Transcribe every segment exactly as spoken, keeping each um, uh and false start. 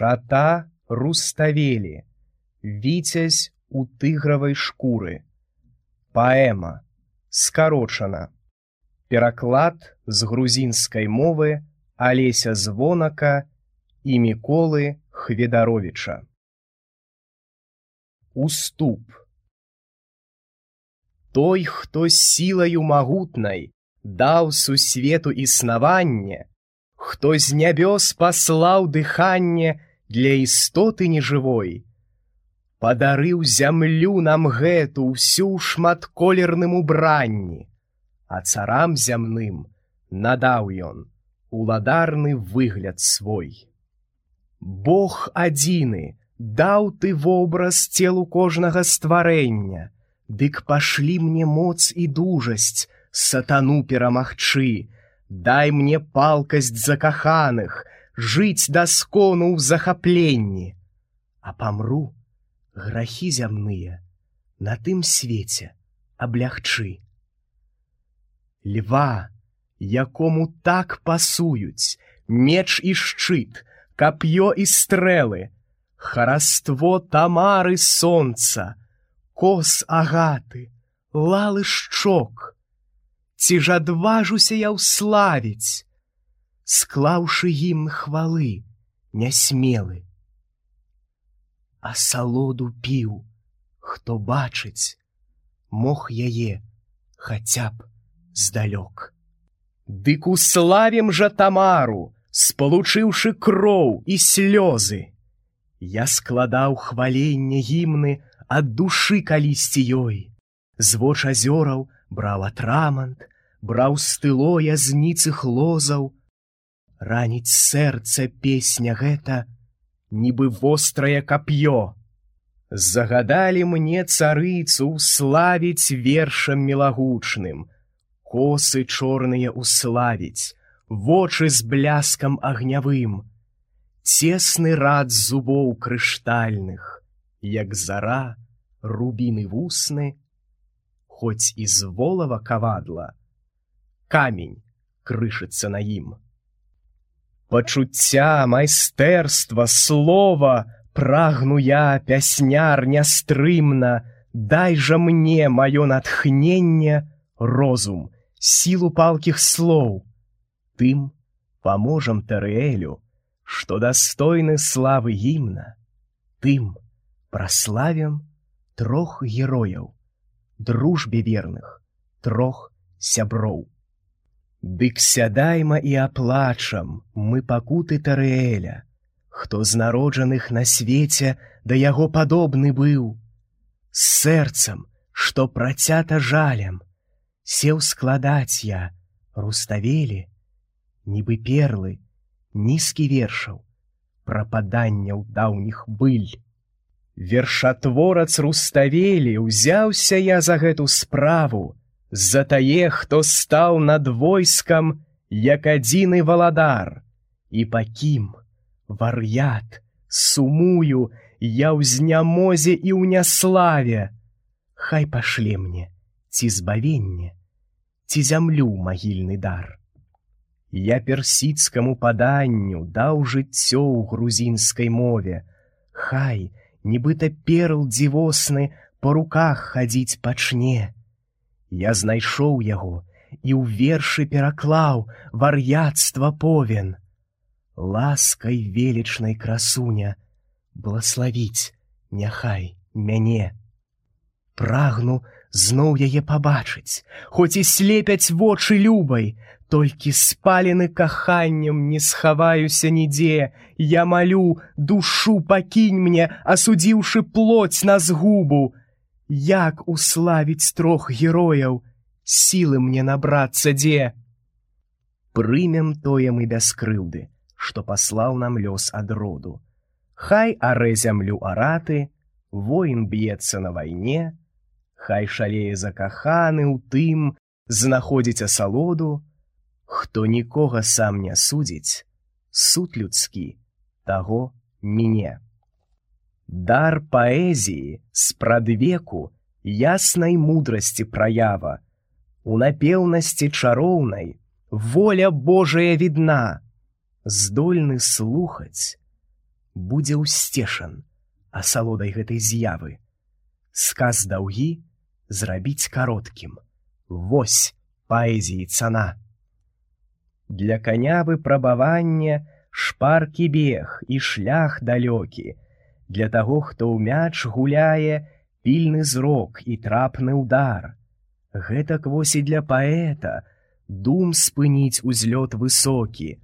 Шата Руставели. Віцязь у тыгравай шкуры. Паэма. Скарочана. Пераклад з грузінскай мовы Алеся Звонака і Міколы Хведаровіча. Уступ. Той, хто сілаю магутнай даў сусвету існаванне, хто з нябёс паслаў дыханне для істоты нежывой, падарыў зямлю нам гэту ўсю шматколерным убранні, а царам зямным надаў ён уладарны выгляд свой. Бог адзіны даў ты вобраз целу кожнага стварэння, дык пашлі мне моц і дужасць сатану перамагчы, дай мне палкасць закаханых, жыцьдаскону ў захапленні, а памру, грахі зямныя на тым свеце аблягчы. Льва, якому так пасуюць меч і шчыт, кап'ё і стрэлы, хараство Тамары сонца, кос агаты, лалы шчок, ці ж адважуся я ўславіць, склаўшы гімн хвалы нясмелы. Асалоду піў, хто бачыць, мог яе хаця б здалёк. Дык уславім жа Тамару, спалучыўшы кроў і слёзы. Я складаў хваленне гімны ад душы калісьці ёй, з воч азёраў браў атрамант, браў стыло язніцых лозаў. Раніць сэрца песня гэта, нібы вострае кап'ё. Загадалі мне царыцу уславіць вершам мілагучным, косы чорныя уславіць, вочы з бляскам агнявым, цесны рад зубоў крыштальных, як зара, рубіны вусны, хоць і з волава кавадла, камень крышыцца на ім. Пачуцця, майстэрства, слова прагну я, пясняр нястрымна, дай жа мне маё натхненне, розум, сілу палкіх слоў. Тым паможам Тарыэлю, што дастойны славы гімна, тым праславім трох герояў, дружбе верных, трох сяброў. Дык сядайма і аплачам мы пакуты Тарыэля, хто з народжаных на свеце да яго падобны быў, з сэрцам, што працята жалем, сеў складаць я, Руставелі, нібы перлы, нізкі вершаў, прападанняў даўніх быль. Вершатворац Руставелі, узяўся я за гэту справу, за тае, хто стаў над войскам, як адзіны валадар, і пакім, вар'ят, сумую, я ў знямозе і ў няславе. Хай пашле мне ці збавенне, ці зямлю магільны дар. Я персідскаму паданню даў жыццё ў грузінскай мове, хай, нібыта перл дзівосны, па руках хадзіць пачне. Я знайшоў яго і ў вершы пераклаў вар'яцтва повен. Ласкай велічнай красуня, блаславіць няхай мяне. Прагну зноў яе пабачыць, хоць і слепяць вочы любай, толькі спалены каханнем не схаваюся нідзе. Я малю, душу пакінь мне, асудзіўшы плоть на згубу. Як уславіць трох герояў, сілы мне набрацца дзе? Прымем тое мы без крыўды, што паслаў нам лёс ад роду. Хай арэ зямлю араты, воін б'ецца на вайне, хай шалее закаханы ў тым, знаходзіць асалоду, хто нікога сам не судзіць, суд людскі таго міне. Дар паэзіі спрадвеку яснай мудрасці праява, у напеўнасці чароўнай воля Божая відна, здольны слухаць будзе ўсцешан асалодай гэтай з'явы. Сказ даўгі зрабіць кароткім. Вось паэзіі цана. Для каня выпрабавання шпаркі бег і шлях далёкі. Для таго, хто ў мяч гуляе, пільны зрок і трапны ўдар. Гэтак вось і для паэта дум спыніць узлёт высокі,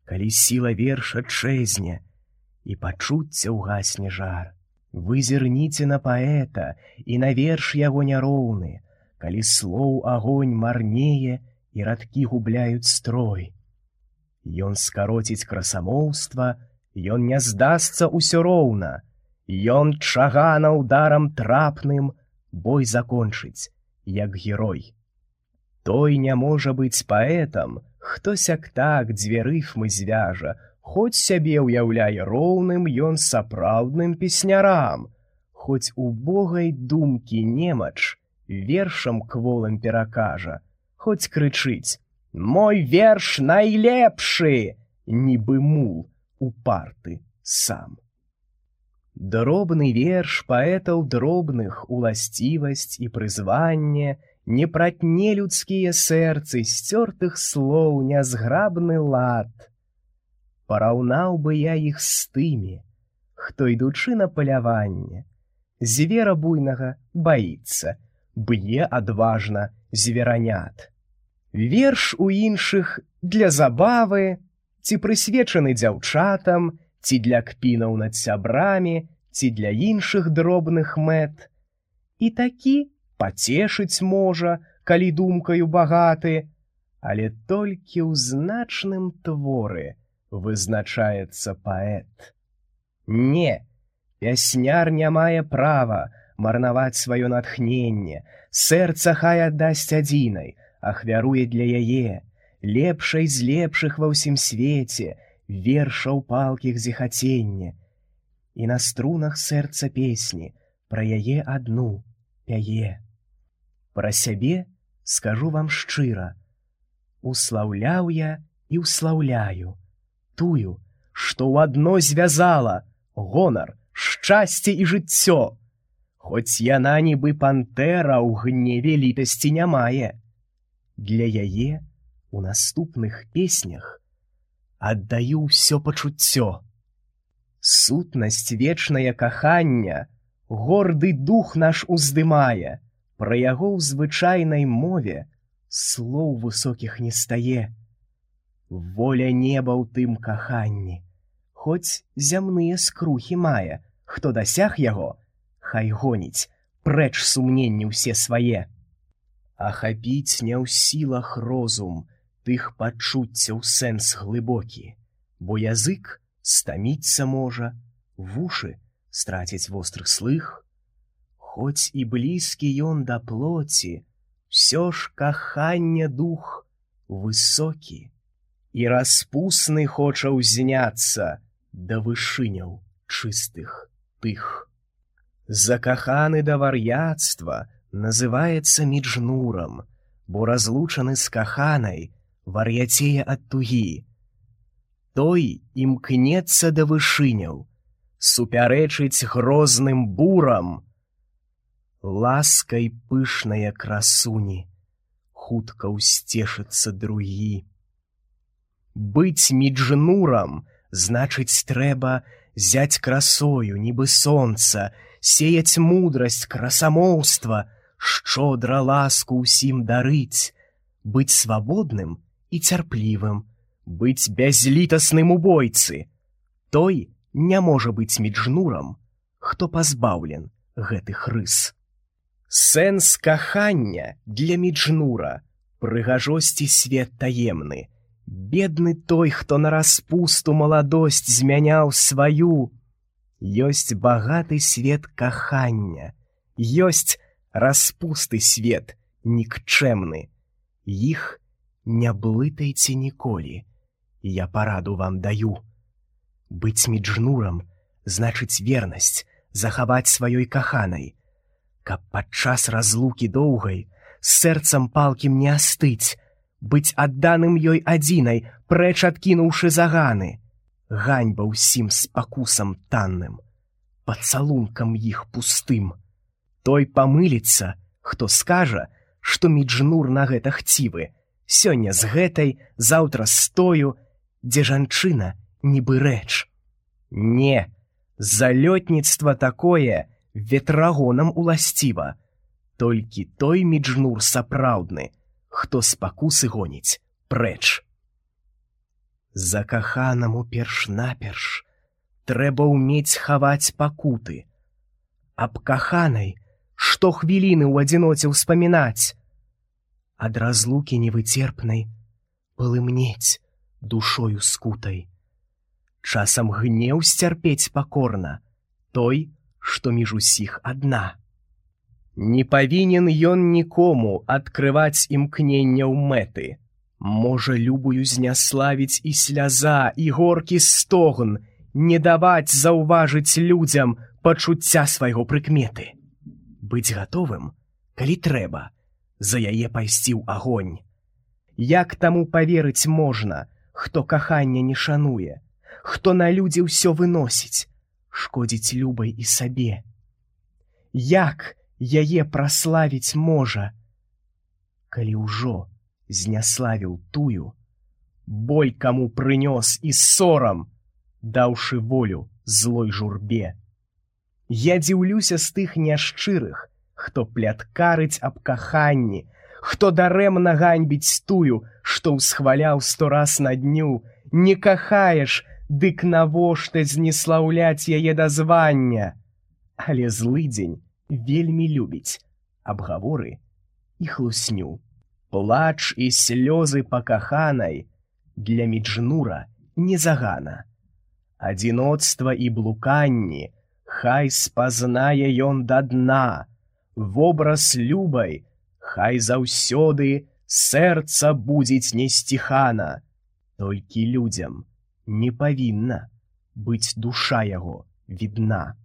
калі сіла верша чэзне і пачуцця ўгасне жар. Вы зірніце на паэта і на верш яго няроўны, калі слоў агонь марнее і радкі губляюць строй. Ён скароціць красамоўства, ён не здасца ўсё роўна, ён чагана ударам трапным бой закончыць, як герой. Той не можа быць паэтам, хто сяк-так дзве рыфмы звяжа, хоць сябе ўяўляе роўным ён сапраўдным песнярам, хоць убогай думкі немач вершам кволым перакажа, хоць крычыць: «Мой верш найлепшы!» нібы мул упарты сам. Дробны верш паэтаў дробных уласцівасць і прызванне, не пратне людскія сэрцы сцёртых слоў нязграбны лад. Параўнаў бы я іх з тымі, хто, ідучы на паляванне, звера буйнага баіцца, б'е адважна зверанят. Верш у іншых для забавы, ці прысвечаны дзяўчатам, ці для кпінаў над сябрамі, ці для іншых дробных мэт. І такі пацешыць можа, калі думкаю багаты, але толькі ў значным творы вызначаецца паэт. Не, пясняр не мае права марнаваць сваё натхненне, сэрца хай аддасць адзінай, ахвяруе для яе, лепшай з лепшых ва ўсім свеце, вершаў палкіх зіхаценне. І на струнах сэрца песні пра яе адну пяе. Пра сябе скажу вам шчыра, услаўляў я і ўслаўляю тую, што ў адно звязала гонар, шчасце і жыццё, хоць яна нібы пантэра ў гневе літасці не мае. Для яе у наступных песнях аддаю ўсё пачуццё. Сутнасць вечнае кахання горды дух наш уздымае, пра яго ў звычайнай мове слоў высокіх не стае. Воля неба ў тым каханні, хоць зямныя скрухі мае, хто дасяг яго, хай гоніць прэч сумненні ўсе свае. Ахапіць не ў сілах розум тых пачуццяў сэнс глыбокі, бо язык стаміцца можа, вушы страціць вострых слых. Хоць і блізкі ён да плоці, ўсё ж кахання дух высокі, і распусны хоча ўзняцца да вышыняў чыстых тых. Закаханы да вар'яцтва называецца міджнурам, бо разлучаны з каханай вар'яцее ад тугі. Той імкнецца да вышыняў, супярэчыць грозным бурам. Ласкай пышнае красуні хутка ўсцешыцца другі. Быць міджнурам значыць трэба зяць красою, нібы сонца, сеяць мудрасць, красамоўства, шчодра ласку ўсім дарыць, быць свабодным і цярплівым, быць бязлітасным у бойцы. Той не можа быць міджнурам, хто пазбаўлен гэтых рыс. Сэнс кахання для міджнура прыгажосці свет таемны. Бедны той, хто на распусту маладосць змяняў сваю. Ёсць багаты свет кахання, ёсць распусты свет нікчэмны. Іх не блытайце ніколі, я параду вам даю. Быць міджнурам значыць вернасць захаваць сваёй каханай, каб падчас разлукі доўгай сэрцам палкім не астыць, быць адданым ёй адзінай, прэч адкінуўшы заганы. ганьба ўсім спакусам танным, пацалункам іх пустым. Той памыліцца, хто скажа, што Міджнур на гэта хцівы, сёння з гэтай, заўтра з тою, дзе жанчына нібы рэч. Не, залётніцтва такое ветрагонам уласціва, толькі той Міджнур сапраўдны, хто спакусы гоніць прэч. Закаханаму перш-наперш трэба ўмець хаваць пакуты, аб каханай што хвіліны ў адзіноце ўспамінаць, ад разлукі невыцерпнай палымнець душою скутай. Часам гнеў сцярпець пакорна той, што між усіх адна. Не павінен ён нікому адкрываць імкненняў мэты. Можа любую зняславіць і сляза, і горкі стогн, не даваць заўважыць людзям пачуцця свайго прыкметы. Быць гатовым, калі трэба, за яе пайсці ў агонь. Як таму паверыць можна, хто кахання не шануе, хто на людзі ўсё выносіць, шкодзіць любай і сабе? Як яе праславіць можа, калі ўжо зняславіў тую, боль каму прынёс і сорам, даўшы волю злой журбе? Я дзіўлюся з тых няшчырых, хто пляткарыць аб каханні, хто дарэмна ганьбіць тую, што ўсхваляў сто раз на дню. Не кахаеш, дык навошта знеслаўляць яе да звання? Але злыдзень вельмі любіць абгаворы і хлусню. Плач і слёзы па каханай для Міджнура не загана. Адзіноцтва і блуканні хай спазнае ён да дна, вобраз любай хай заўсёды сэрца будзіць несціхана. Толькі людзям не павінна быць душа яго відна.